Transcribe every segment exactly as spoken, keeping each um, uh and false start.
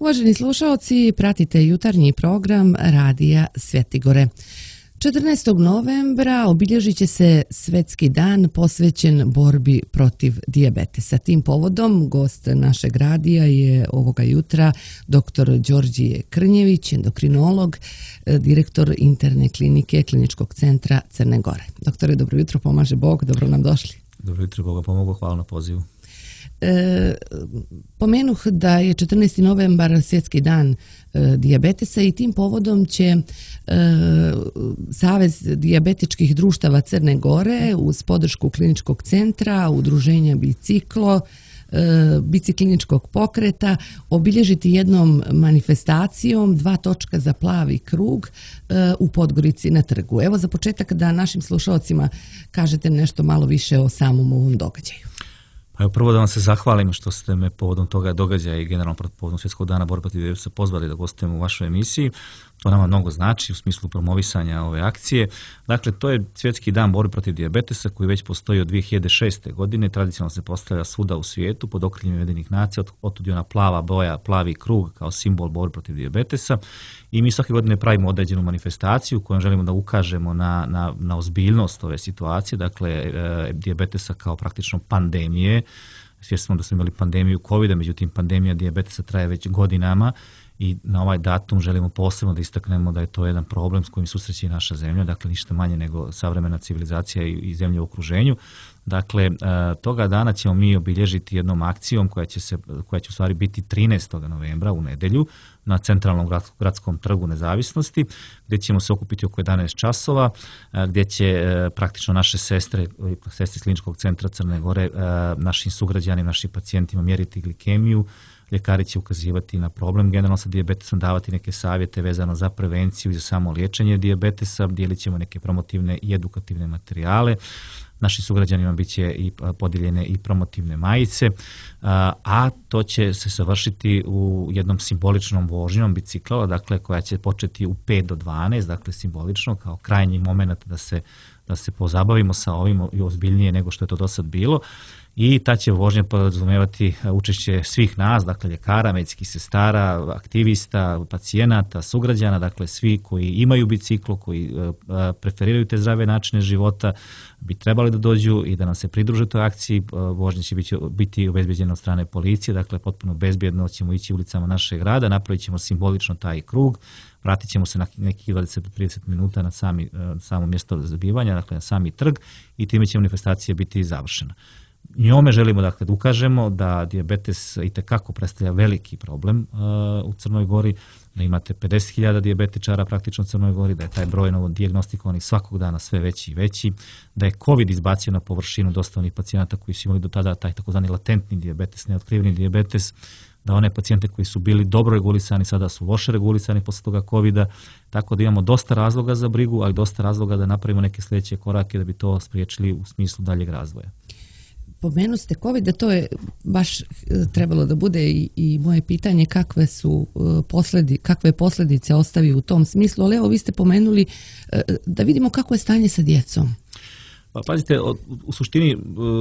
Uvaženi slušaoci, pratite jutarnji program Radija Svjetigore. četrnaestog novembra obilježit će se Svetski dan posvećen borbi protiv dijabetesa. Tim povodom gost našeg radija je ovoga jutra doktor Đorđije Krnjević, endokrinolog, direktor interne klinike Kliničkog centra Crne Gore. Doktore, dobro jutro, pomaže Bog, dobro nam došli. Dobro jutro, Boga pomogu, hvala na pozivu. E, pomenuh da je četrnaesti novembar Svjetski dan e, dijabetesa i tim povodom će e, Savez dijabetičkih društava Crne Gore uz podršku Kliničkog centra, udruženja Biciklo, e, bicikliničkog pokreta obilježiti jednom manifestacijom dva točka za plavi krug e, u Podgorici na trgu. Evo za početak da našim slušalcima kažete nešto malo više o samom ovom događaju. Pa prvo da vam se zahvalim što ste me povodom toga događaja i generalno povodom Svjetskog dana borbe protiv dijabetesa pozvali da gostujem u vašoj emisiji. To nama mnogo znači u smislu promovisanja ove akcije. Dakle, to je Svjetski dan borbe protiv dijabetesa koji već postoji od dvije hiljade šeste. godine. Tradicionalno se postavlja svuda u svijetu pod okriljem Ujedinjenih nacija, otud je ona plava boja, plavi krug kao simbol borbe protiv dijabetesa. I mi svake godine pravimo određenu manifestaciju kojom želimo da ukažemo na, na, na ozbiljnost ove situacije, dakle e, dijabetesa kao praktično pandemije. Svjesni smo da smo imali pandemiju kovida, međutim pandemija dijabetesa traje već godinama i na ovaj datum želimo posebno da istaknemo da je to jedan problem s kojim susreće i naša zemlja, dakle ništa manje nego savremena civilizacija i, i zemlje u okruženju. Dakle, toga dana ćemo mi obilježiti jednom akcijom koja će, se, koja će u stvari biti trinaestog novembra u nedjelju na centralnom gradskom trgu Nezavisnosti, gdje ćemo se okupiti oko jedanaest časova, gdje će praktično naše sestre, sestre Kliničkog centra Crne Gore, našim sugrađanima, našim pacijentima mjeriti glikemiju. Ljekari će ukazivati na problem generalno sa dijabetesom, davati neke savjete vezano za prevenciju i za samo liječenje dijabetesa, dijelit ćemo neke promotivne i edukativne materijale. Našim sugrađanima bit će i podijeljene i promotivne majice, a to će se završiti u jednom simboličnom vožnjom bicikla, dakle koja će početi u pet do dvanaest, dakle simbolično kao krajnji moment da se, da se pozabavimo sa ovim i ozbiljnije nego što je to do sad bilo. I ta će vožnja podrazumijevati učešće svih nas, dakle ljekara, medicinskih sestara, aktivista, pacijenata, sugrađana, dakle svi koji imaju biciklo, koji preferiraju te zdrave načine života, bi trebali da dođu i da nam se pridruže toj akciji. Vožnja će biti, biti obezbeđena od strane policije, dakle potpuno bezbjedno ćemo ići ulicama našeg grada, napravit ćemo simbolično taj krug, vratit ćemo se na nekih dvadeset do trideset minuta na sami, samo mjesto zabivanja, dakle na sami trg i time će manifestacija biti završena. Njome želimo dakle da ukažemo da dijabetes itekako predstavlja veliki problem uh, u Crnoj Gori, da imate pedeset hiljada dijabetičara praktično u Crnoj Gori, da je taj broj novo dijagnostikovanih svakog dana sve veći i veći, da je COVID izbacio na površinu dosta onih pacijenata koji su imali do tada taj takozvani latentni dijabetes, neotkriveni dijabetes, da one pacijente koji su bili dobro regulisani sada su loše regulisani posle toga covida, tako da imamo dosta razloga za brigu, ali dosta razloga da napravimo neke sljedeće korake da bi to spriječili u smislu daljeg razvoja. Pomenu ste COVID, da to je baš trebalo da bude i, i moje pitanje kakve su posledi, kakve posljedice ostavi u tom smislu, ali evo vi ste pomenuli da vidimo kako je stanje sa djecom. Pa pazite, u suštini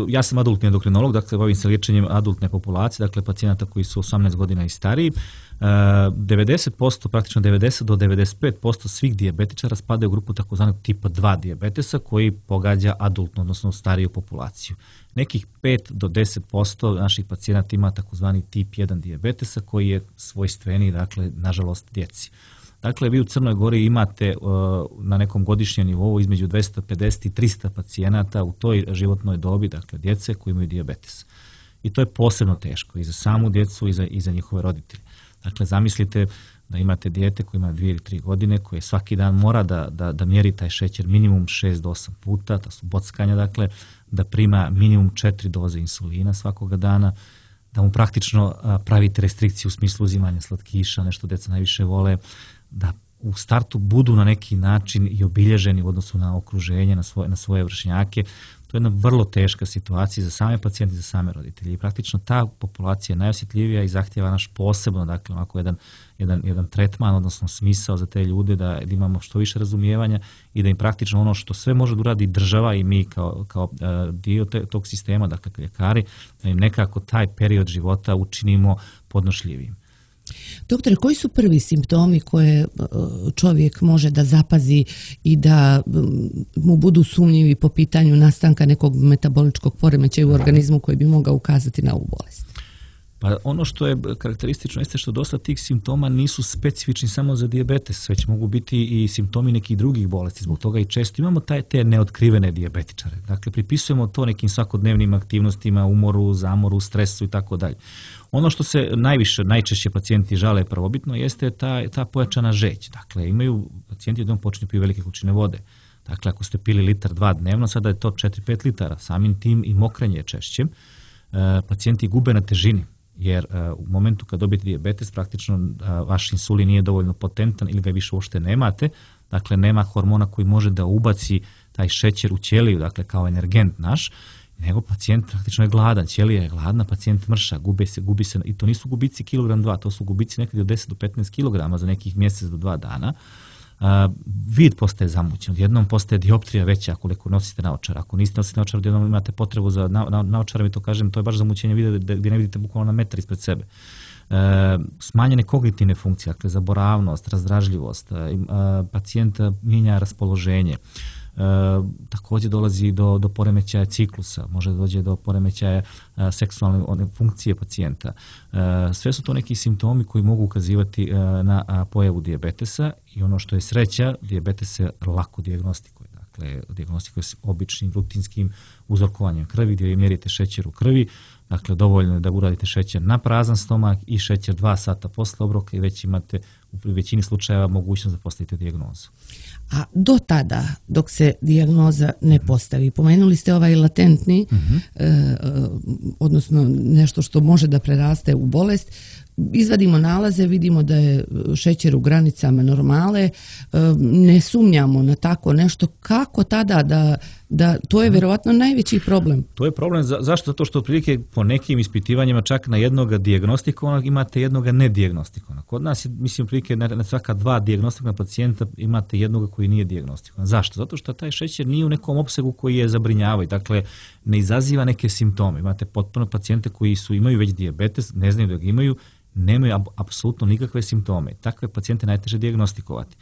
ja sam adultni endokrinolog, dakle bavim se liječenjem adultne populacije, dakle pacijenata koji su osamnaest godina i stariji. devedeset posto, praktično devedeset do devedeset pet posto svih dijabetičara spadaju u grupu takozvanog tipa dva dijabetesa koji pogađa adultnu, odnosno stariju populaciju. Nekih pet do deset posto naših pacijenata ima takozvani tip jedan dijabetesa koji je svojstveniji, dakle, nažalost, djeci. Dakle, vi u Crnoj Gori imate uh, na nekom godišnjem nivou između dvesta pedeset i trista pacijenata u toj životnoj dobi, dakle djece koji imaju dijabetes. I to je posebno teško i za samu djecu i za, i za njihove roditelje. Dakle, zamislite da imate dijete koje ima dvije ili tri godine, koje svaki dan mora da, da, da mjeri taj šećer minimum šest do osam puta, to su bockanja, dakle, da prima minimum četiri doze insulina svakoga dana, da mu praktično a, pravite restrikciju u smislu uzimanja slatkiša, nešto djeca najviše vole, da u startu budu na neki način i obilježeni u odnosu na okruženje, na svoje, na svoje vršnjake. To je jedna vrlo teška situacija za same pacijente i za same roditelje. I praktično ta populacija je najosjetljivija i zahtjeva naš posebno, dakle, ovako jedan, jedan, jedan tretman, odnosno smisao za te ljude, da imamo što više razumijevanja i da im praktično ono što sve može da uradi država i mi kao, kao uh, dio te, tog sistema, dakle ljekari, da im nekako taj period života učinimo podnošljivim. Doktore, koji su prvi simptomi koje čovjek može da zapazi i da mu budu sumnjivi po pitanju nastanka nekog metaboličkog poremećaja u organizmu koji bi mogao ukazati na ovu bolest? Pa ono što je karakteristično jeste što dosta tih simptoma nisu specifični samo za dijabetes, već mogu biti i simptomi nekih drugih bolesti. Zbog toga i često imamo taj, te neotkrivene dijabetičare. Dakle, pripisujemo to nekim svakodnevnim aktivnostima, umoru, zamoru, stresu i tako dalje. Ono što se najviše, najčešće pacijenti žale prvobitno jeste ta, ta pojačana žeć. Dakle, imaju pacijenti odjednom počinju piju velike količine vode. Dakle, ako ste pili litar dva dnevno, sada je to četiri do pet litara. Samim tim i mokrenje je češće. E, pacijenti gube na težini. Jer uh, u momentu kad dobijete dijabetes, praktično uh, vaš insulin nije dovoljno potentan ili ga više uopšte nemate, dakle nema hormona koji može da ubaci taj šećer u ćeliju, dakle kao energent naš, nego pacijent praktično je gladan, ćelija je gladna, pacijent mrša, gubi se, gubi se, i to nisu gubici kilogram dva, to su gubici nekad od deset do petnaest kilograma za nekih mjesec do dva dana. Uh, vid postaje zamućen, odjednom postaje dioptrija veća koliko nosite naočar. Ako niste nosite naočar, odjednom imate potrebu za na, na, naočarama i to kažem, to je baš zamućenje vida gdje ne vidite bukvalno na metar ispred sebe. Uh, smanjene kognitivne funkcije, dakle zaboravnost, razdražljivost, uh, pacijent mijenja raspoloženje. E, također dolazi do, do poremećaja ciklusa, može dođe do poremećaja a, seksualne one, funkcije pacijenta. E, sve su to neki simptomi koji mogu ukazivati a, na a, pojavu dijabetesa i ono što je sreća, dijabetes se lako dijagnostikuje. Dakle, dijagnostikuje se običnim, rutinskim uzorkovanjem krvi gdje mjerite šećer u krvi. Dakle, dovoljno je da uradite šećer na prazan stomak i šećer dva sata posle obroka i već imate u većini slučajeva mogućnost da postavite dijagnozu. A do tada, dok se dijagnoza ne postavi, pomenuli ste ovaj latentni, mm-hmm. e, odnosno nešto što može da preraste u bolest, izvadimo nalaze, vidimo da je šećer u granicama normale, e, ne sumnjamo na tako nešto, kako tada da, da to je vjerovatno najveći problem? To je problem, za, zašto? Zato što otprilike po nekim ispitivanjima čak na jednoga dijagnostikovanog imate jednoga nedijagnostikovanog. Kod nas je, mislim, otprilike na, na svaka dva dijagnostikovana pacijenta imate jednoga koji nije dijagnostikovan. Zašto? Zato što taj šećer nije u nekom opsegu koji je zabrinjavaju, dakle ne izaziva neke simptome. Imate potpuno pacijente koji su imaju već dijabetes, ne znaju da ga imaju, nemaju apsolutno nikakve simptome. Takve pacijente najteže dijagnostikovati.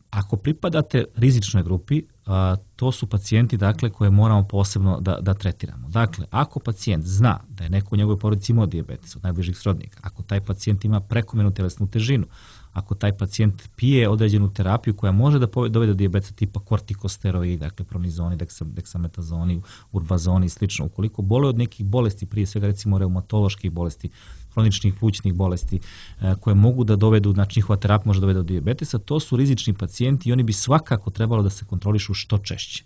Ako pripadate rizičnoj grupi, a, to su pacijenti dakle koje moramo posebno da, da tretiramo. Dakle, ako pacijent zna da je neko u njegovoj porodici imao dijabetes od najbližih srodnika, ako taj pacijent ima prekomjernu tjelesnu težinu, ako taj pacijent pije određenu terapiju koja može da dovede do dijabetesa tipa kortikosteroidi, dakle pronizoni, deksametazoni, urbazoni i slično, ukoliko bole od nekih bolesti, prije svega recimo reumatoloških bolesti, hroničnih plućnih bolesti e, koje mogu da dovedu, znači njihova terapija može dovede do dijabetesa, to su rizični pacijenti i oni bi svakako trebalo da se kontrolišu što češće.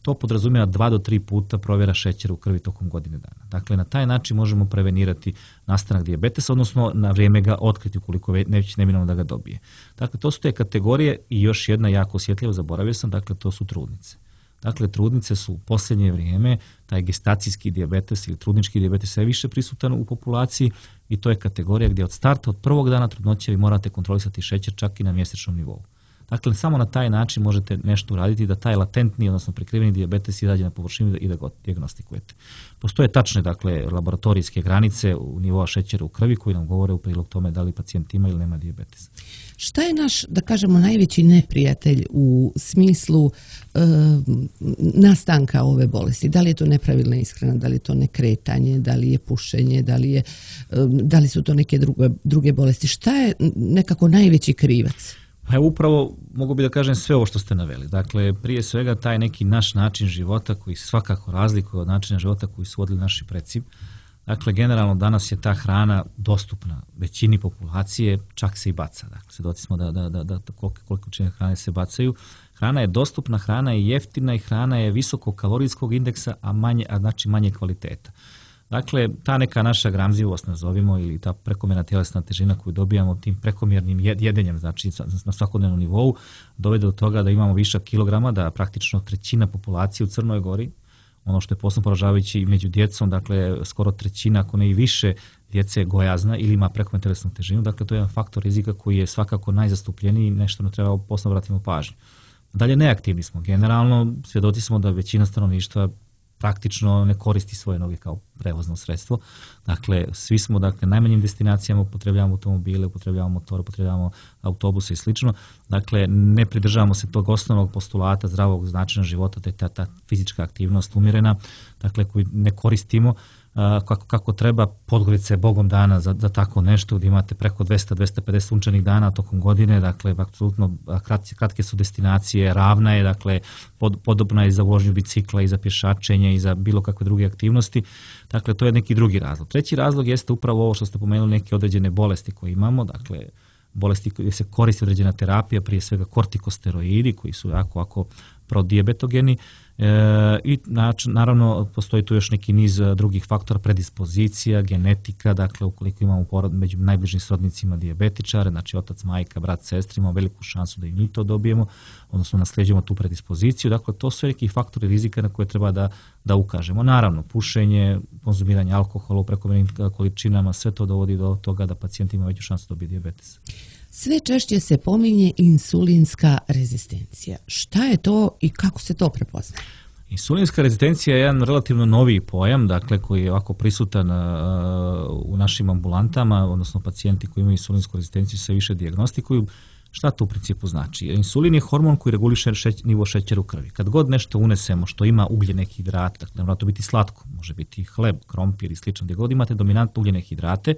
To podrazumijeva dva do tri puta provjera šećera u krvi tokom godine dana. Dakle, na taj način možemo prevenirati nastanak dijabetesa, odnosno na vrijeme ga otkriti ukoliko već neminovno da ga dobije. Dakle, to su te kategorije i još jedna jako osjetljiva, zaboravio sam, dakle, to su trudnice. Dakle, trudnice su u posljednje vrijeme, taj gestacijski dijabetes ili trudnički dijabetes sve više prisutan u populaciji i to je kategorija gdje od starta, od prvog dana trudnoće vi morate kontrolisati šećer čak i na mjesečnom nivou. Dakle, samo na taj način možete nešto uraditi da taj latentni, odnosno prikriveni dijabetes izađe na površinu i da ga dijagnostikujete. Postoje tačne, dakle, laboratorijske granice u nivoa šećera u krvi koji nam govore u prilog tome da li pacijent ima ili nema dijabetes. Šta je naš, da kažemo, najveći neprijatelj u smislu e, nastanka ove bolesti? Da li je to nepravilna ishrana, da li je to nekretanje, da li je pušenje, da li, je, e, da li su to neke druge, druge bolesti? Šta je nekako najveći krivac? Pa upravo mogu bi da kažem sve ovo što ste naveli. Dakle, prije svega taj neki naš način života koji svakako razlikuje od načina života koji su vodili naši preci. Dakle, generalno danas je ta hrana dostupna većini populacije, čak se i baca. Dakle, svjedoci smo da, da, da, da koliko, koliko čine hrane se bacaju. Hrana je dostupna, hrana je jeftina i hrana je visokokalorijskog indeksa, a, manje, a znači manje kvaliteta. Dakle, ta neka naša gramzivost, nazovimo, ili ta prekomjerna tjelesna težina koju dobijamo tim prekomjernim jedenjem, znači na svakodnevnom nivou, dovede do toga da imamo višak kilograma, da praktično trećina populacije u Crnoj Gori, ono što je posebno poražavajuće i među djecom, dakle skoro trećina, ako ne i više, djece je gojazna ili ima prekomjernu tjelesnu težinu, dakle to je jedan faktor rizika koji je svakako najzastupljeniji i nešto ne treba posebno vratimo pažnju. Dalje, neaktivni smo. Generalno, svjedoci smo da većina stanovništva praktično ne koristi svoje noge kao prevozno sredstvo. Dakle, svi smo, dakle, najmanjim destinacijama upotrebljavamo automobile, upotrebljavamo motore, upotrebljavamo autobuse i slično. Dakle, ne pridržavamo se tog osnovnog postulata zdravog načina života, te ta, ta fizička aktivnost umjerena, dakle, koju ne koristimo kako, kako treba. Podgorica je bogom dana za, za tako nešto, gdje imate preko dvesta do dvesta pedeset sunčanih dana tokom godine, dakle, apsolutno kratke, kratke su destinacije, ravna je, dakle, pod, podobna je za vožnju bicikla i za pješačenje i za bilo kakve druge aktivnosti. Dakle, to je neki drugi razlog. Treći razlog jeste upravo ovo što ste pomenuli, neke određene bolesti koje imamo, dakle, bolesti gdje se koristi određena terapija, prije svega kortikosteroidi koji su jako, jako prodijabetogeni. E, I naravno postoji tu još neki niz drugih faktora, predispozicija, genetika, dakle ukoliko imamo porod među najbližim srodnicima dijabetičare, znači otac, majka, brat, sestra, imamo veliku šansu da i mi to dobijemo, odnosno nasljeđujemo tu predispoziciju. Dakle, to su neki faktori rizika na koje treba da, da ukažemo. Naravno, pušenje, konzumiranje alkohola u prekomjernim količinama, sve to dovodi do toga da pacijent ima veću šansu da dobije dijabetes. Sve češće se pominje insulinska rezistencija. Šta je to i kako se to prepoznaje? Insulinska rezistencija je jedan relativno noviji pojam, dakle, koji je ovako prisutan uh, u našim ambulantama, odnosno pacijenti koji imaju insulinsku rezistenciju se više dijagnostikuju. Šta to u principu znači? Insulin je hormon koji reguliše šeć, nivo šećera u krvi. Kad god nešto unesemo što ima ugljene hidrate, dakle, ne mora to biti slatko, može biti hleb, krompir i slično, gdje god imate dominantne ugljene hidrate,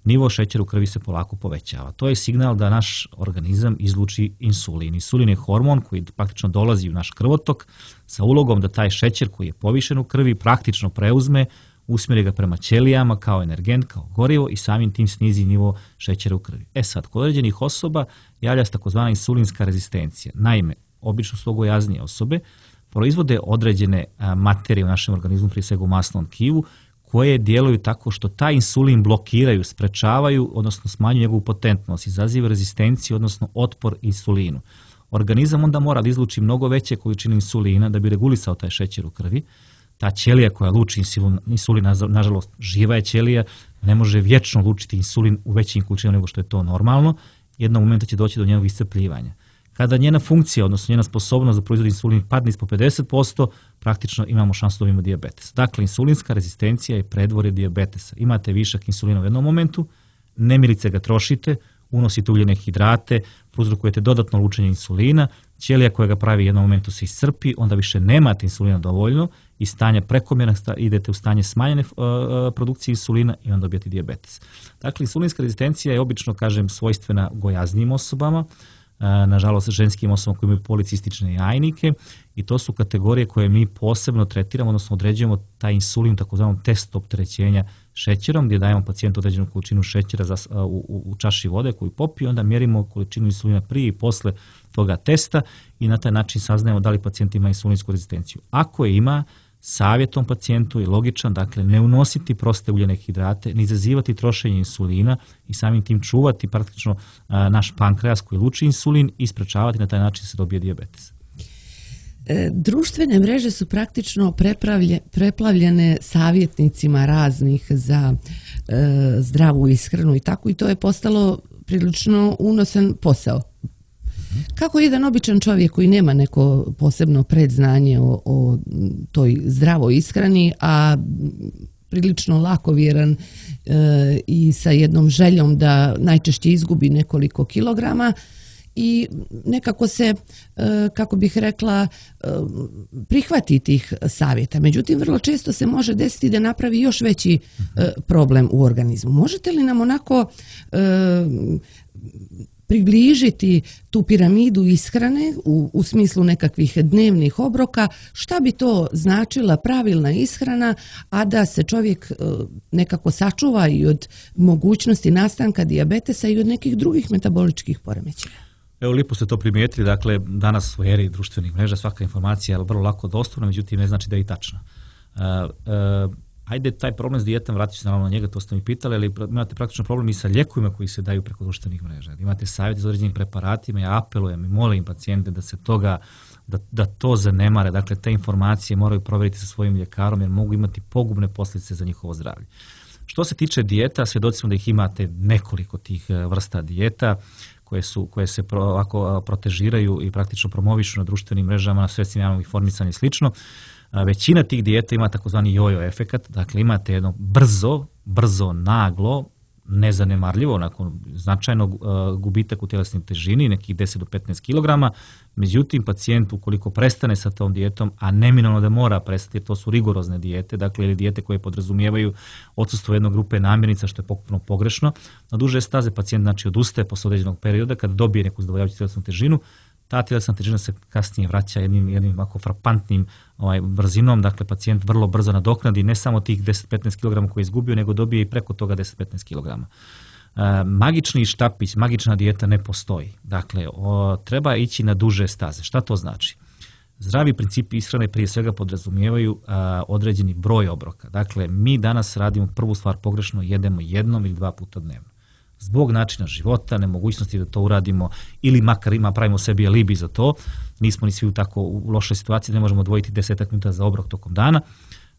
nivo šećera u krvi se polako povećava. To je signal da naš organizam izluči insulin. Insulin je hormon koji praktično dolazi u naš krvotok sa ulogom da taj šećer koji je povišen u krvi praktično preuzme, usmjeri ga prema ćelijama kao energent, kao gorivo i samim tim snizi nivo šećera u krvi. E sad, kod određenih osoba javlja se takozvana insulinska rezistencija. Naime, obično su gojaznije osobe proizvode određene materije u našem organizmu, prije svega u masnom tkivu, koje djeluju tako što taj insulin blokiraju, sprečavaju, odnosno smanjuju njegovu potentnost, izaziva rezistenciju, odnosno otpor insulinu. Organizam onda mora da izluči mnogo veće količine insulina da bi regulisao taj šećer u krvi. Ta ćelija koja luči insulin, insulin, nažalost živa je ćelija, ne može vječno lučiti insulin u većim količinama nego što je to normalno, jednog momenta će doći do njegovog iscrpljivanja. Kada njena funkcija, odnosno njena sposobnost da proizvodi insulin padne ispod pedeset posto, praktično imamo šansu da dobijemo dijabetes. Dakle, insulinska rezistencija je predvorje dijabetesa. Imate višak insulina u jednom momentu, nemilice ga trošite, unosite ugljene hidrate, prouzrokujete dodatno lučenje insulina, ćelija koja ga pravi u jednom momentu se iscrpi, onda više nemate insulina dovoljno i stanje prekomjerno, idete u stanje smanjene uh, produkcije insulina i onda dobijete dijabetes. Dakle, insulinska rezistencija je obično, kažem, svojstvena gojaznijim osobama, nažalost ženskim osobama koji imaju policistične jajnike i to su kategorije koje mi posebno tretiramo, odnosno određujemo taj insulin takozvanom testu opterećenja šećerom, gdje dajemo pacijentu određenu količinu šećera za, u, u, u čaši vode koju popije, onda mjerimo količinu insulina prije i posle toga testa i na taj način saznajemo da li pacijent ima insulinsku rezistenciju. Ako je ima, savjetom pacijentu je logičan, dakle ne unositi proste ugljene hidrate, ne izazivati trošenje insulina i samim tim čuvati praktično a, naš pankreas koji luči insulin i sprečavati na taj način se dobije dijabetes. E, društvene mreže su praktično preplavljene savjetnicima raznih za e, zdravu ishranu i tako i to je postalo prilično unosan posao. Kako jedan običan čovjek koji nema neko posebno predznanje o, o toj zdravoj ishrani, a prilično lakovjeran e, i sa jednom željom da najčešće izgubi nekoliko kilograma i nekako se, e, kako bih rekla, e, prihvati tih savjeta. Međutim, vrlo često se može desiti da napravi još veći e, problem u organizmu. Možete li nam onako e, približiti tu piramidu ishrane u, u smislu nekakvih dnevnih obroka, šta bi to značila pravilna ishrana, a da se čovjek e, nekako sačuva i od mogućnosti nastanka dijabetesa i od nekih drugih metaboličkih poremećaja? Evo, lijepo ste to primijetili, dakle danas u eri društvenih mreža svaka informacija je vrlo lako dostupna, međutim ne znači da je i tačna. Uh, uh, Ajde, taj problem s dijetom, vratit ću se naravno na njega, to ste mi pitali, ali imate praktično problem i sa lijekovima koji se daju preko društvenih mreža. Imate savjeti za određenim preparatima, ja apelujem i molim pacijente da se toga, da, da to zanemare, dakle te informacije moraju provjeriti sa svojim ljekarom jer mogu imati pogubne posljedice za njihovo zdravlje. Što se tiče dijeta, svjedoci smo da ih imate nekoliko tih vrsta dijeta koje, su, koje se pro, ovako protežiraju i praktično promovišu na društvenim mrežama, na sredstvima javnog informisanja i slično. Većina tih dijeta ima takozvani jojo efekat, dakle imate jedno brzo, brzo, naglo, nezanemarljivo, nakon značajnog uh, gubitak u tjelesnoj težini, nekih deset do petnaest kilograma, međutim pacijent ukoliko prestane sa tom dijetom, a neminovno da mora prestati, jer to su rigorozne dijete, dakle ili dijete koje podrazumijevaju odsustvo jedne grupe namirnica, što je potpuno pogrešno, na duže staze pacijent znači odustaje posle određenog perioda kad dobije neku zadovoljavajuću tjelesnu težinu. Ta tjelesna težina se kasnije vraća jednim, jednim ovako frapantnim ovaj, brzinom, dakle pacijent vrlo brzo nadoknadi ne samo tih deset do petnaest kilograma koje je izgubio, nego dobije i preko toga deset do petnaest kilograma. E, magični štapić, magična dijeta ne postoji. Dakle, o, treba ići na duže staze. Šta to znači? Zdravi principi ishrane prije svega podrazumijevaju a, određeni broj obroka. Dakle, mi danas radimo prvu stvar pogrešno, jedemo jednom ili dva puta dnevno. Zbog načina života, nemogućnosti da to uradimo ili makar ima pravimo sebi alibi za to, nismo ni svi u tako u lošoj situaciji, ne možemo odvojiti desetak minuta za obrok tokom dana,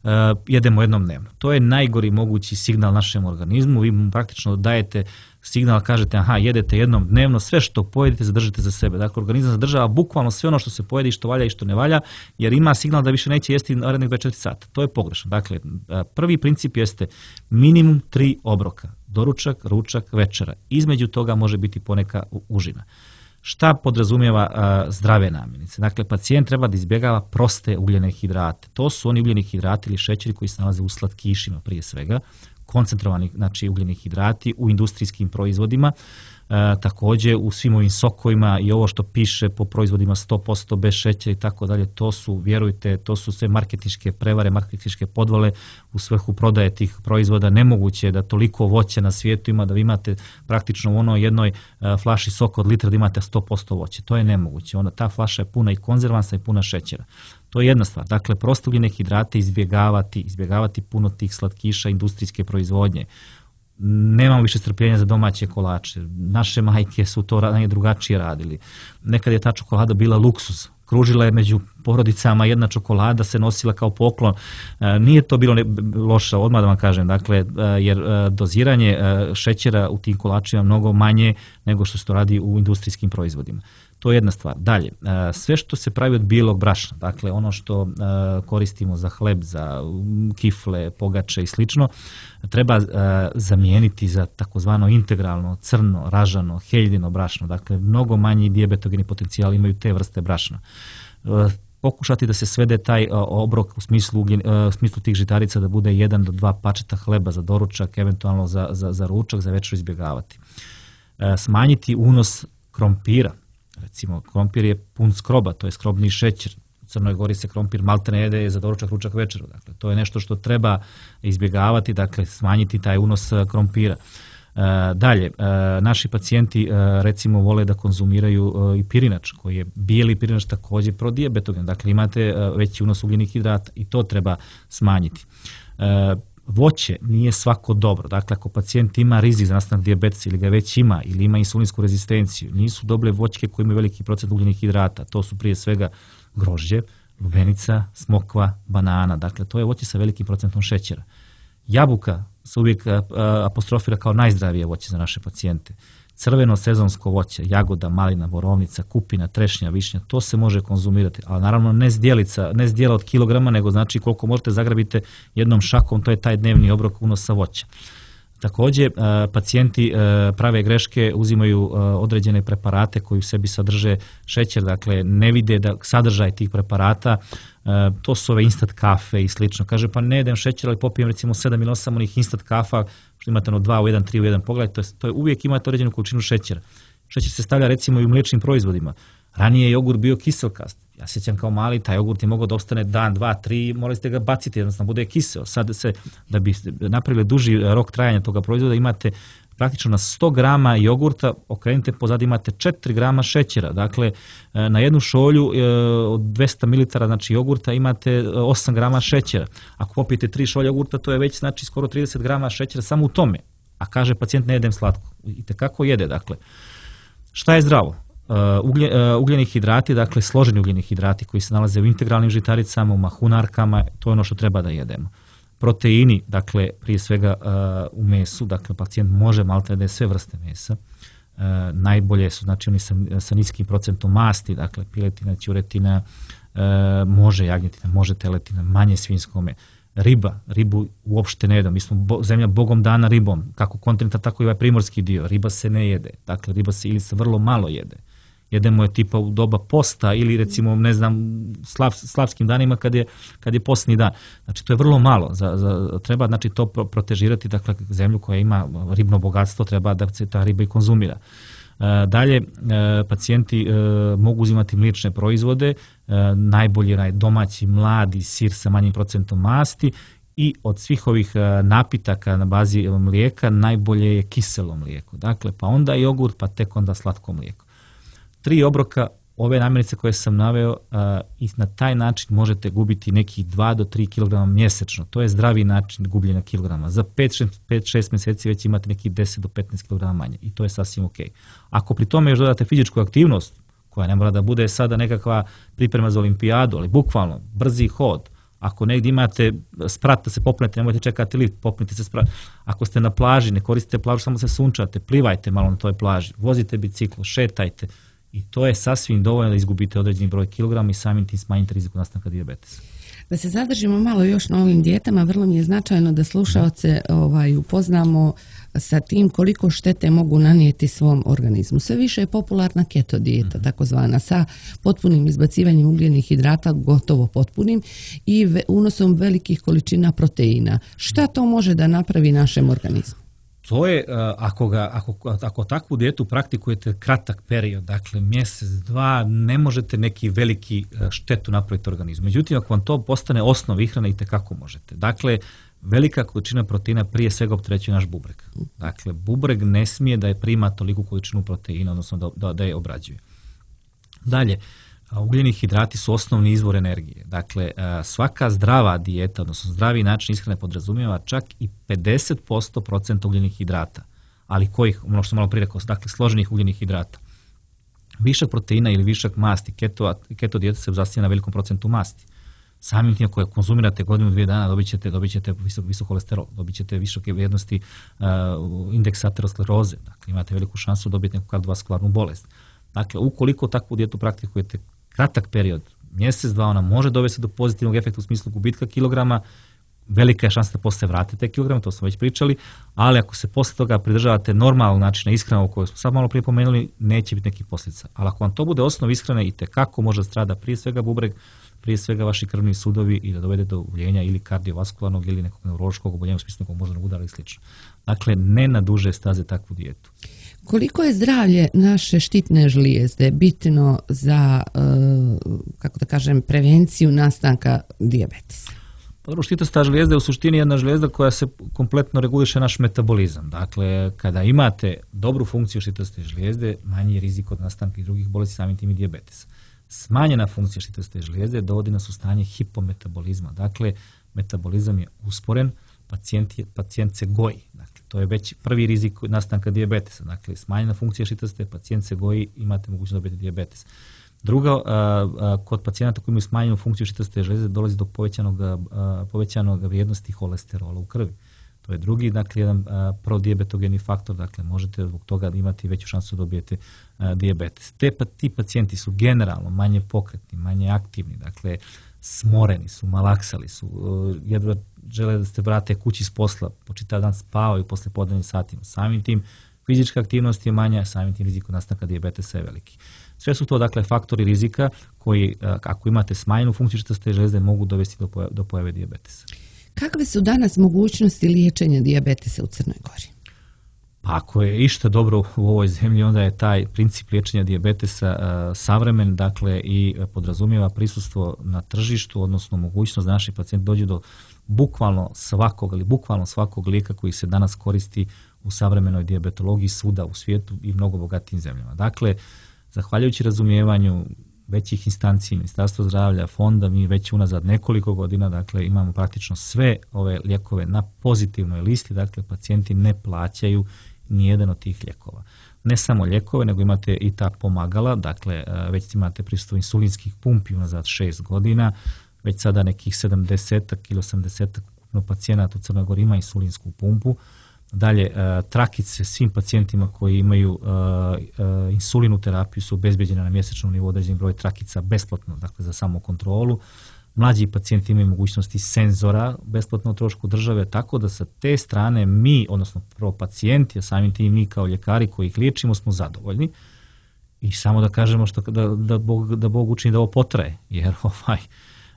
uh, jedemo jednom dnevno. To je najgori mogući signal našem organizmu, vi mu praktično dajete signal, kažete aha, jedete jednom dnevno, sve što pojedete zadržite za sebe. Dakle, organizam zadržava bukvalno sve ono što se pojede i što valja i što ne valja, jer ima signal da više neće jesti narednih dvadeset četiri sata. To je pogrešno. Dakle, prvi princip jeste minimum tri obroka. Doručak, ručak, večera. Između toga može biti poneka užina. Šta podrazumijeva a, zdrave namirnice? Dakle, pacijent treba da izbjegava proste ugljene hidrate. To su oni ugljeni hidrati ili šećeri koji se nalaze u slatkišima prije svega, koncentrovani znači, ugljeni hidrati u industrijskim proizvodima, e, također u svim ovim sokovima i ovo što piše po proizvodima sto posto bez šećera i tako dalje, to su, vjerujte, to su sve marketinške prevare, marketinške podvale u svrhu prodaje tih proizvoda. Nemoguće je da toliko voća na svijetu ima da vi imate praktično u onoj jednoj e, flaši soka od litra da imate sto posto voće. To je nemoguće. Onda ta flaša je puna i konzervansa i puna šećera. To je jedna stvar. Dakle, prosto ugljene hidrate izbjegavati, izbjegavati puno tih slatkiša industrijske proizvodnje. Nemamo više strpljenja za domaće kolače. Naše majke su to drugačije radili. Nekad je ta čokolada bila luksuz. Kružila je među porodicama, jedna čokolada se nosila kao poklon. Nije to bilo loše, odmah da vam kažem, dakle, jer doziranje šećera u tim kolačima mnogo manje nego što se to radi u industrijskim proizvodima. To je jedna stvar. Dalje, sve što se pravi od bijelog brašna, dakle ono što koristimo za hleb, za kifle, pogače i slično, treba zamijeniti za takozvano integralno, crno, ražano, heljino brašno. Dakle, mnogo manji dijabetogeni potencijal imaju te vrste brašna. Pokušati da se svede taj obrok u smislu, u smislu tih žitarica da bude jedan do dva pačeta hleba za doručak, eventualno za, za, za ručak, za večeru izbjegavati. Smanjiti unos krompira. Recimo, krompir je pun skroba, to je skrobni šećer. U Crnoj Gori se krompir maltene jede za doručak, ručak, večeru. Dakle, to je nešto što treba izbjegavati, dakle, smanjiti taj unos krompira. E, dalje, e, naši pacijenti e, recimo vole da konzumiraju e, i pirinač, koji je bijeli pirinač također prodijabetogen. Dakle, imate e, veći unos ugljenih hidrata i to treba smanjiti. E, Voće nije svako dobro. Dakle, ako pacijent ima rizik za nastanak dijabetesa ili ga već ima ili ima insulinsku rezistenciju, nisu dobre voćke koje imaju veliki procent ugljenih hidrata. To su prije svega grožđe, lubenica, smokva, banana. Dakle, to je voće sa velikim procentom šećera. Jabuka se uvijek apostrofira kao najzdravije voće za naše pacijente. Crveno sezonsko voće, jagoda, malina, borovnica, kupina, trešnja, višnja, to se može konzumirati, ali naravno ne zdjelica, ne zdjela od kilograma, nego znači koliko možete zagrabite jednom šakom, to je taj dnevni obrok unosa voća. Također, pacijenti prave greške, uzimaju određene preparate koji u sebi sadrže šećer, dakle ne vide da sadržaj tih preparata, to su ove instant kafe i slično. Kaže, pa ne jedem šećer, ali popijem recimo sedam ili osam onih instant kafa, što imate ono dva u jedan, tri u jedan, pogledajte, to je, to je uvijek imate određenu količinu šećera. Šećer se stavlja recimo i u mliječnim proizvodima. Ranije je jogurt bio kiselkast. Ja sjećam kao mali, taj jogurt je mogao da ostane dan, dva, tri, morali ste ga baciti, jednostavno bude kiseo. Sad se, da bi napravili duži rok trajanja toga proizvoda, imate praktično na sto grama jogurta, okrenite pozad, imate četiri grama šećera. Dakle, na jednu šolju od dvesta mililitara znači jogurta imate osam grama šećera. Ako popijete tri šolje jogurta, to je već znači skoro trideset grama šećera samo u tome. A kaže pacijent ne jedem slatko. I tekako jede, dakle. Šta je zdravo? Uglje, uh, ugljeni hidrati, dakle složeni ugljeni hidrati koji se nalaze u integralnim žitaricama, u mahunarkama, to je ono što treba da jedemo. Proteini, dakle prije svega uh, u mesu, dakle pacijent može maltene da je sve vrste mesa. Uh, najbolje su znači oni sa, sa niskim procentom masti, dakle piletina, ćuretina, može jagnjetina, može teletina, manje svinjskome. Riba, ribu uopšte ne jedemo. Mi smo bo, zemlja bogom dana ribom, kako kontinental, tako i ovaj primorski dio. Riba se ne jede. Dakle, riba se ili se vrlo malo jede. Jedemo je tipa u doba posta ili recimo, ne znam, slav, slavskim danima kad je, kad je postni dan. Znači, to je vrlo malo. Za, za, treba znači, to protežirati, dakle, zemlju koja ima ribno bogatstvo, treba da se ta riba i konzumira. Dalje, pacijenti mogu uzimati mliječne proizvode, najbolji je domaći mladi sir sa manjim procentom masti i od svih ovih napitaka na bazi mlijeka najbolje je kiselo mlijeko. Dakle, pa onda jogurt, pa tek onda slatko mlijeko. Tri obroka ove namirnice koje sam naveo i na taj način možete gubiti nekih dva do tri kilograma mjesečno. To je zdravi način gubljenja kilograma. Za pet do šest mjeseci već imate nekih deset do petnaest kilograma manje i to je sasvim ok. Ako pri tome još dodate fizičku aktivnost, koja ne mora da bude sada nekakva priprema za olimpijadu, ali bukvalno brzi hod. Ako negdje imate sprat da se popnete, nemojte čekati lift, popnite se sprat. Ako ste na plaži, ne koristite plažu, samo se sunčate, plivajte malo na toj plaži, vozite biciklo, šetajte. I to je sasvim dovoljno da izgubite određeni broj kilograma i samim tim smanjite rizik nastanka dijabetesa. Da se zadržimo malo još na ovim dijetama, vrlo mi je značajno da slušaoce ovaj, upoznamo sa tim koliko štete mogu nanijeti svom organizmu. Sve više je popularna keto dijeta, mm-hmm. takozvana, sa potpunim izbacivanjem ugljenih hidrata, gotovo potpunim, i ve, unosom velikih količina proteina. Šta to može da napravi našem organizmu? To je, ako, ga, ako, ako takvu dijetu praktikujete kratak period, dakle mjesec, dva, ne možete neki veliki štetu napraviti organizmu. Međutim, ako vam to postane osnov ishrane, itekako možete. Dakle, velika količina proteina prije svega opterećuje naš bubreg. Dakle, bubreg ne smije da je prima toliku količinu proteina, odnosno da, da, da je obrađuje. Dalje, ugljeni hidrati su osnovni izvor energije. Dakle, svaka zdrava dijeta, odnosno zdravi način ishrane podrazumijeva čak i pedeset posto procenta ugljenih hidrata. Ali kojih, ono što sam malo prije rekao, dakle, složenih ugljenih hidrata. Višak proteina ili višak masti, keto, keto dijeta se zasniva na velikom procentu masti. Samim tim koje konzumirate godinu, dvije dana, dobit ćete, dobit ćete visok, visok kolesterol, dobit ćete visoke vrijednosti uh, indeksa ateroskleroze. Dakle, imate veliku šansu dobiti neku kardiovaskularnu bolest. Dakle, ukoliko takvu dijetu praktikujete kratak period, mjesec, dva, ona može dovesti do pozitivnog efekta u smislu gubitka kilograma, velika je šansa da poslije vratite te kilograme, to smo već pričali, ali ako se poslije toga pridržavate normalnog načina ishrane o kojoj smo sad malo prije pomenuli, neće biti nekih posljedica. Ali ako vam to bude osnov ishrane, itekako može strada prije svega bubreg, prije svega vaši krvni sudovi i da dovede do oboljenja ili kardiovaskularnog ili nekog neurološkog oboljenja u smislu nekog moždanog udara i slično. Dakle, ne na duže staze takvu dijetu. Koliko je zdravlje naše štitne žlijezde bitno za, kako da kažem, prevenciju nastanka dijabetesa? Pa, štitasta žlijezda je u suštini jedna žlijezda koja se kompletno reguliše naš metabolizam. Dakle, kada imate dobru funkciju štitaste žlijezde, manji je rizik od nastanka i drugih bolesti, samim tim i dijabetesa. Smanjena funkcija štitaste žlijezde dovodi nas u stanje hipometabolizma. Dakle, metabolizam je usporen, pacijent, je, pacijent se goji. Dakle, to je već prvi rizik nastanka dijabetesa. Dakle, smanjena funkcija štitaste, pacijent se goji, imate mogućnost dobiti dijabetes. Drugo, kod pacijenata koji imaju smanjenu funkciju štitaste žlijezde dolazi do povećanog, povećanog vrijednosti holesterola u krvi. To je drugi, dakle, jedan prodijabetogeni faktor, dakle, možete zbog toga imati veću šansu da dobijete dijabetes. Te, ti pacijenti su generalno manje pokretni, manje aktivni, dakle, smoreni su, malaksali su, jedva žele da se vrate kući s posla, po čitav dan spavaju posle podnevnim satima. Samim tim fizička aktivnost je manja, samim tim rizik od nastanka dijabetesa je veliki. Sve su to, dakle, faktori rizika koji, ako imate smanjenu funkciju štitaste žlijezde, mogu dovesti do pojave, do pojave dijabetesa. Kakve su danas mogućnosti liječenja dijabetesa u Crnoj Gori? Pa ako je išta dobro u ovoj zemlji, onda je taj princip liječenja dijabetesa uh, savremen, dakle, i podrazumijeva prisustvo na tržištu, odnosno mogućnost da naši pacijenti dođu do bukvalno svakog, ali bukvalno svakog lijeka koji se danas koristi u savremenoj dijabetologiji svuda u svijetu i mnogo bogatijim zemljama. Dakle, zahvaljujući razumijevanju većih instanci, Ministarstva zdravlja, fonda, mi već unazad nekoliko godina, dakle, imamo praktično sve ove lijekove na pozitivnoj listi, dakle, pacijenti ne plaćaju nijedan od tih lijekova. Ne samo lijekove, nego imate i ta pomagala, dakle, već imate prisustvo insulinskih pumpi unazad šest godina, već sada nekih sedamdeset ili osamdeset pacijenata u Crnoj Gori ima insulinsku pumpu. Dalje, trakice svim pacijentima koji imaju insulinu terapiju su obezbeđene na mjesečnom nivou određeni broj trakica besplatno, dakle za samu kontrolu. Mlađi pacijenti imaju mogućnosti senzora besplatno o trošku države, tako da sa te strane mi, odnosno prvo pacijenti, a samim tim mi kao ljekari koji ih liječimo smo zadovoljni. I samo da kažemo što, da, da, Bog, da Bog učini da ovo potraje, jer ovaj,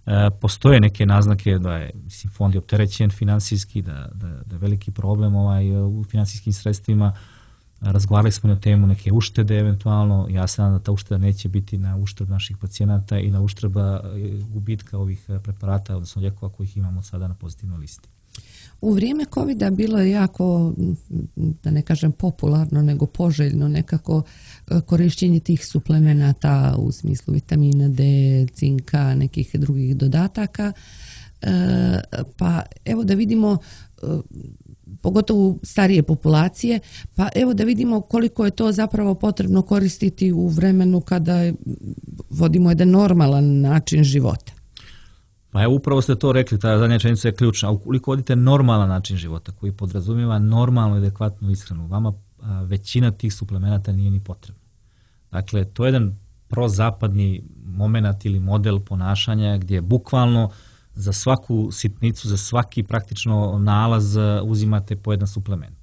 e, postoje neke naznake da je mislim, fond je opterećen finansijski, da, da, da je veliki problem ovaj, u finansijskim sredstvima. Razgovarali smo na temu neke uštede eventualno. Ja se nadam da ta ušteda neće biti na uštrb naših pacijenata i na uštrb gubitka ovih preparata, odnosno lijekova kojih imamo sada na pozitivnoj listi. U vrijeme covida bilo je jako, da ne kažem popularno, nego poželjno nekako korištenje tih suplemenata u smislu vitamina D, cinka, nekih drugih dodataka. Pa evo da vidimo, pogotovo starije populacije, pa evo da vidimo koliko je to zapravo potrebno koristiti u vremenu kada vodimo jedan normalan način života. Pa evo upravo ste to rekli, ta zadnja rečenica je ključna. Ukoliko vodite normalan način života koji podrazumijeva normalnu i adekvatnu ishranu, vama a, većina tih suplemenata nije ni potrebna. Dakle, to je jedan prozapadni moment ili model ponašanja gdje bukvalno za svaku sitnicu, za svaki praktično nalaz uzimate po jedan suplement.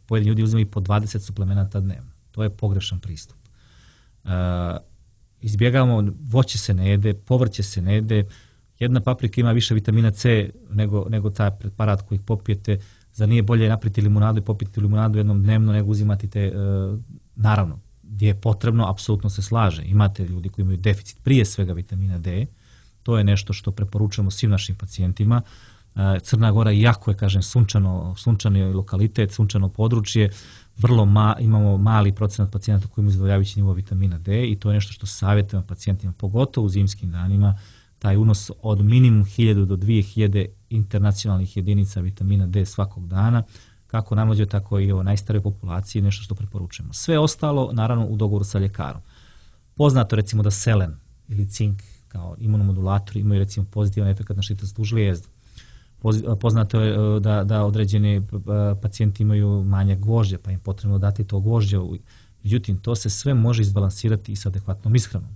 Pojedini ljudi uzimaju po dvadeset suplemenata dnevno. To je pogrešan pristup. E, izbjegavamo, voće se ne jede, povrće se ne jede, jedna paprika ima više vitamina C nego, nego taj preparat koji popijete. Zar nije bolje napraviti limunadu i popiti limunadu jednom dnevno nego uzimati te, e, naravno, gdje je potrebno, apsolutno se slaže. Imate ljudi koji imaju deficit prije svega vitamina D, to je nešto što preporučujemo svim našim pacijentima. Crna Gora jako je, kažem, sunčano, sunčani lokalitet, sunčano područje, vrlo ma, imamo mali procenat pacijenata koji imaju zadovoljavajući nivo vitamina D i to je nešto što savjetujemo pacijentima, pogotovo u zimskim danima, taj unos od minimum hiljadu do dvije hiljade internacionalnih jedinica vitamina D svakog dana, kako najmlađoj, tako i o najstarijoj populaciji, nešto što preporučujemo. Sve ostalo, naravno, u dogovoru sa ljekarom. Poznato recimo da selen ili cink kao imunomodulatori imaju recimo pozitivan efekt na švicarsku žlijezdu. Poznato je da, da određeni pacijenti imaju manje gvožđa, pa im potrebno dati to gvožđe. Međutim, to se sve može izbalansirati i sa adekvatnom ishranom.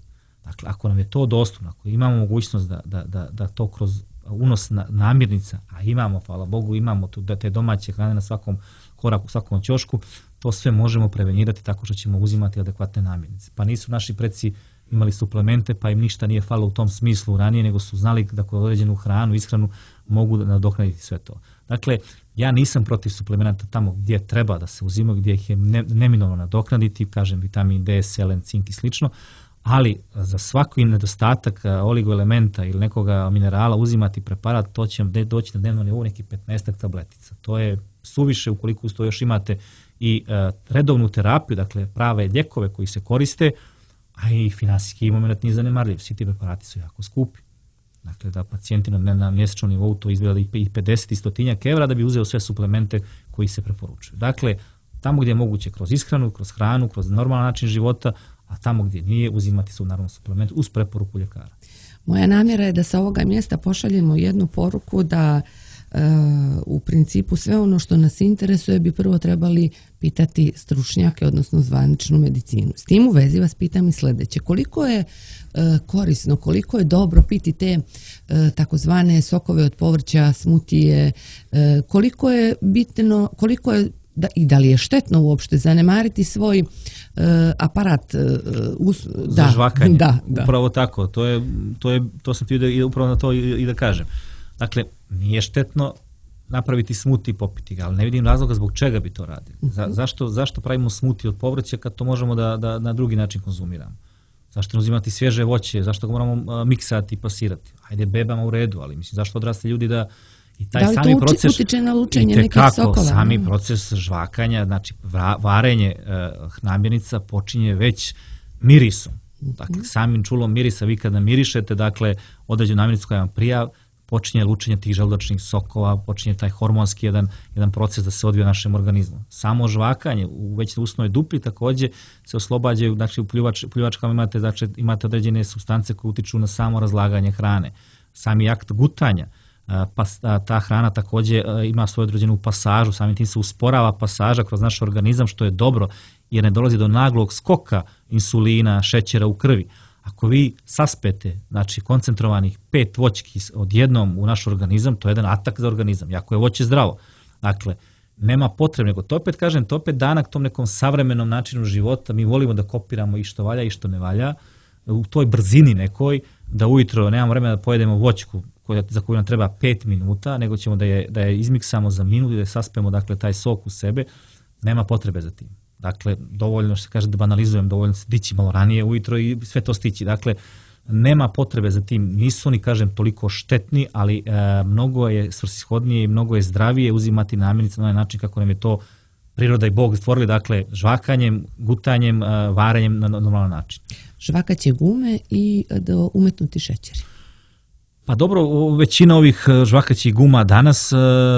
Dakle, ako nam je to dostupno, ako imamo mogućnost da, da, da, da to kroz unos namirnica, a imamo, hvala Bogu, imamo tu, da te domaće hrane na svakom koraku, svakom ćošku, to sve možemo prevenirati tako što ćemo uzimati adekvatne namirnice. Pa nisu naši preci imali suplemente, pa im ništa nije falilo u tom smislu ranije, nego su znali da kroz određenu hranu, ishranu mogu nadoknaditi sve to. Dakle, ja nisam protiv suplemenata tamo gdje treba da se uzimaju, gdje ih je ne, neminovno nadoknaditi, kažem vitamin D, selen, cink i slično, ali za svaki nedostatak oligoelementa ili nekoga minerala uzimati preparat, to će doći na dnevno nivou nekih petnaestak tabletica. To je suviše ukoliko uz to još imate i uh, redovnu terapiju, dakle prave lijekove koji se koriste, a i finansijski moment nije zanemarljiv. Svi ti preparati su jako skupi. Dakle, da pacijenti na, na mjesečnom nivou to izgleda i pedeset i stotinjak evra da bi uzeo sve suplemente koji se preporučuju. Dakle, tamo gdje je moguće kroz ishranu, kroz hranu, kroz normalan način života, a tamo gdje nije uzimati su naravno suplement uz preporuku ljekara. Moja namjera je da sa ovoga mjesta pošaljemo jednu poruku da e, u principu sve ono što nas interesuje bi prvo trebali pitati stručnjake, odnosno zvaničnu medicinu. S tim u vezi vas pitam i sljedeće. Koliko je e, korisno, koliko je dobro piti te e, takozvane sokove od povrća, smutije, e, koliko je bitno, koliko je da, i da li je štetno uopšte zanemariti svoj uh, aparat uh, us, za da, žvakanje. Da, da. Upravo tako, to je, to je, to sam ti da, upravo na to i, i da kažem. Dakle, nije štetno napraviti smuti i popiti ga, ali ne vidim razloga zbog čega bi to radili. Za, zašto, zašto pravimo smuti od povrća kad to možemo da, da na drugi način konzumiramo? Zašto ne uzimati svježe voće? Zašto ga moramo uh, miksati i pasirati? Hajde, bebama u redu, ali mislim, zašto odrasli ljudi da i taj da li sami to proces utiče na lučenje nekih sokova? Sami proces žvakanja, znači varenje uh, namirnica počinje već mirisom. Dakle, samim čulom mirisa vi kada mirišete, dakle, određenu namirnicu koja vam prija, počinje lučenje tih želudačnih sokova, počinje taj hormonski jedan, jedan proces da se odvija u našem organizmu. Samo žvakanje u već usnoj dupli također se oslobađaju, znači u pljuvač, pljuvačkama imate, znači, imate određene supstance koje utiču na samo razlaganje hrane. Sami akt gutanja pa ta hrana također ima svoju određenu pasažu, samim tim se usporava pasaža kroz naš organizam, što je dobro jer ne dolazi do naglog skoka insulina, šećera u krvi. Ako vi saspete, znači koncentrovanih pet voćki odjednom u naš organizam, to je jedan atak za organizam, jako je voće zdravo. Dakle, nema potrebe, nego to opet kažem, to opet danak tom nekom savremenom načinu života, mi volimo da kopiramo i što valja i što ne valja, u toj brzini nekoj, da ujutro nemamo vremena da pojedemo voćku koja, za koju nam treba pet minuta, nego ćemo da je, da je izmiksamo za minut i da je saspemo, dakle, taj sok u sebe, nema potrebe za tim. Dakle, dovoljno što se kaže da banalizujem, dovoljno se dići malo ranije ujutro i sve to stići. Dakle, nema potrebe za tim, nisu oni, kažem, toliko štetni, ali e, mnogo je svrsishodnije i mnogo je zdravije uzimati namirnice na onaj način kako nam je to priroda i Bog stvorili, dakle, žvakanjem, gutanjem, e, varenjem na normalan način. Žvakaće gume i do umetnuti šećeri. Pa dobro, većina ovih žvakaćih guma danas e,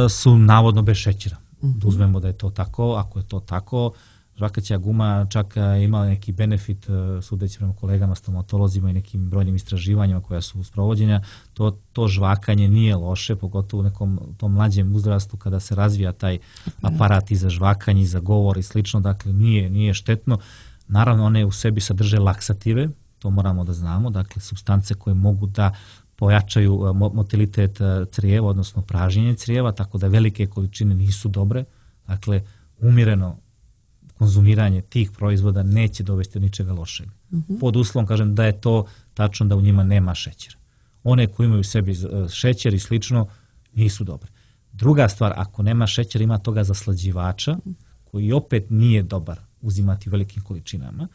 su navodno bez šećera. Uh-huh. Uzmemo da je to tako, ako je to tako, žvakaća guma čak ima neki benefit, sudeći prema kolegama stomatolozima i nekim brojnim istraživanjima koja su sprovođenja, to, to žvakanje nije loše, pogotovo u nekom tom mlađem uzrastu kada se razvija taj aparat i za žvakanje i za govor i slično, dakle nije, nije štetno. Naravno, one u sebi sadrže laksative, to moramo da znamo, dakle supstance koje mogu da pojačaju motilitet crijeva, odnosno pražnjenje crijeva, tako da velike količine nisu dobre, dakle umjereno konzumiranje tih proizvoda neće dovesti do ničega lošeg. Uh-huh. Pod uslovom, kažem, da je to tačno da u njima nema šećera. One koji imaju u sebi šećer i slično nisu dobre. Druga stvar, ako nema šećera, ima toga zaslađivača, koji opet nije dobar uzimati u velikim količinama,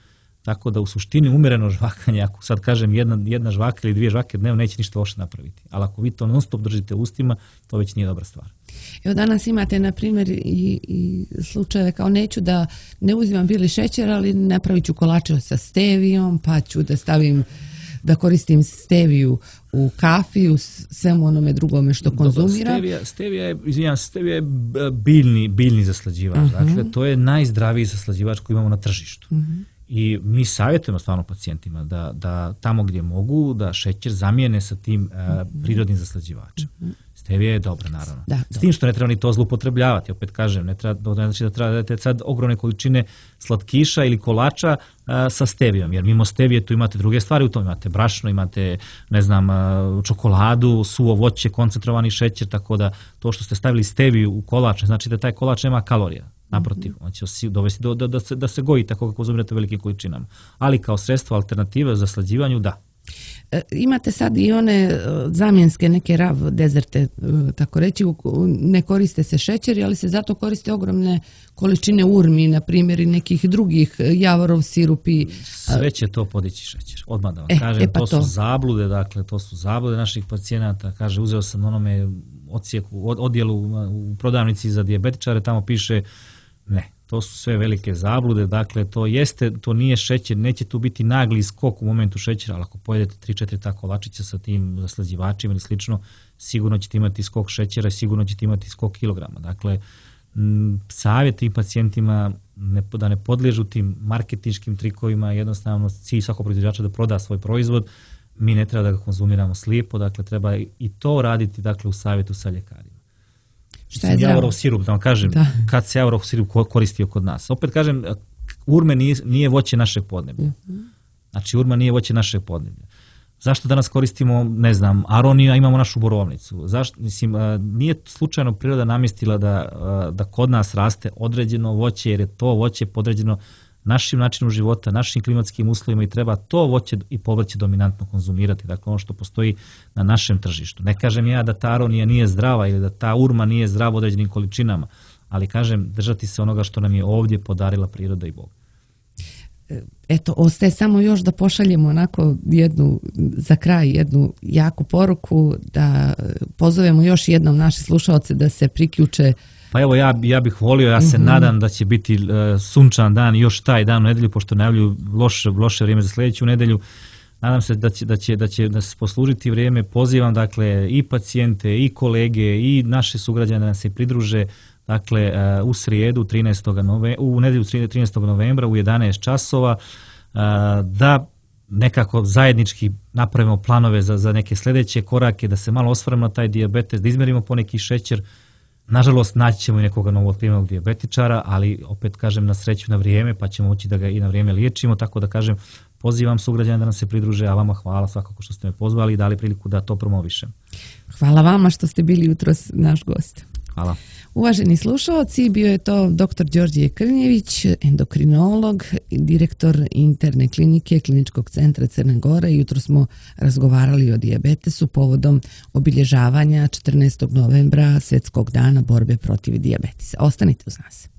tako da u suštini umjereno žvakanje, ako sad kažem jedna, jedna žvaka ili dvije žvake dnevno, neće ništa loše napraviti. Ali ako vi to non stop držite u ustima, to već nije dobra stvar. Evo danas imate, na primjer, i, i slučajeve kao neću da ne uzimam bili šećer, ali napravit ću kolače sa stevijom, pa ću da stavim, da koristim steviju u kafi, u svemu onome drugome što konzumiram. Stevija, stevija je, izvinjam, stevija je biljni, biljni zaslađivač. Uh-huh. Dakle, to je najzdraviji zaslađivač koji imamo na tržištu. Uh-huh. I mi savjetujemo stvarno pacijentima da, da tamo gdje mogu da šećer zamijene sa tim uh, prirodnim zaslađivačem. Stevija je dobra, naravno. Da, S tim što ne treba ni to zloupotrebljavati. Opet kažem, ne treba, ne znači da treba da dajete sad ogromne količine slatkiša ili kolača uh, sa stevijom, jer mimo stevije tu imate druge stvari u tom. Imate brašno, imate, ne znam, uh, čokoladu, suvo voće, koncentrovani šećer, tako da to što ste stavili steviju u kolač, znači da taj kolač nema kalorija. Naprotiv, on će dovesti do, da, da, se, da se goji tako kako konzumirate u velikim količinama. Ali kao sredstvo alternative za slađivanju, da. E, imate sad i one zamjenske neke rav dezerte, tako reći, ne koriste se šećeri, ali se zato koriste ogromne količine urmi, na primjer, i nekih drugih, javorov sirupi. Sve će to podići šećer, odmah da vam e, kažem. E, pa to, to su zablude, dakle, to su zablude naših pacijenata. Kaže, uzeo sam onome odsjeku, odjelu u prodavnici za dijabetičare, tamo piše ne, to su sve velike zablude, dakle to jeste, to nije šećer, neće tu biti nagli skok u momentu šećera, ali ako pojedete tri četiri ta kolačića sa tim zaslađivačima ili slično, sigurno ćete imati skok šećera i sigurno ćete imati skok kilograma. Dakle, m, savjet tim pacijentima ne, da ne podliježu tim marketinškim trikovima, jednostavno cilj svakog proizvođača da proda svoj proizvod, mi ne treba da ga konzumiramo slijepo, dakle treba i to raditi, dakle, u savjetu sa ljekarima. Šta je javorov sirup, da vam kažem, da. Kad se javorov sirup koristio kod nas. Opet kažem, urme nije, nije voće našeg podneblja. Uh-huh. Znači, urma nije voće našeg podneblja. Zašto danas koristimo, ne znam, aroniju, a imamo našu borovnicu? Zašto, mislim, nije slučajno priroda namjestila da, da kod nas raste određeno voće, jer je to voće podređeno našim načinom života, našim klimatskim uslovima i treba to voće i povrće dominantno konzumirati, dakle ono što postoji na našem tržištu. Ne kažem ja da ta aronija nije zdrava ili da ta urma nije zdrava u određenim količinama, ali kažem držati se onoga što nam je ovdje podarila priroda i Bog. Eto, ostaje samo još da pošaljemo onako jednu, za kraj jednu jaku poruku, da pozovemo još jednom naše slušaoce da se priključe. Pa evo, ja, ja bih volio, ja se mm-hmm. nadam da će biti uh, sunčan dan još taj dan u nedelju, pošto najavljuju loše, loše vrijeme za sljedeću nedelju. Nadam se da će, da će, da će nas poslužiti vrijeme. Pozivam, dakle, i pacijente, i kolege, i naše sugrađane da nam se pridruže, dakle, uh, u srijedu, trinaestog novembra, u nedelju trinaestog novembra u jedanaest časova, uh, da nekako zajednički napravimo planove za, za neke sljedeće korake, da se malo osvrnemo na taj dijabetes, da izmerimo poneki šećer. Nažalost, naći ćemo i nekoga novootkrivenog dijabetičara, ali opet kažem na sreću na vrijeme, pa ćemo moći da ga i na vrijeme liječimo, tako da kažem, pozivam sugrađane da nam se pridruže, a vama hvala svakako što ste me pozvali i dali priliku da to promovišem. Hvala vama što ste bili jutros naš gost. Hvala. Uvaženi slušalci, bio je to doktor Đorđe Krnjević, endokrinolog, direktor interne klinike Kliničkog centra Crne Gore. Jutro smo razgovarali o dijabetesu povodom obilježavanja četrnaestog novembra Svjetskog dana borbe protiv dijabetesa. Ostanite uz nas.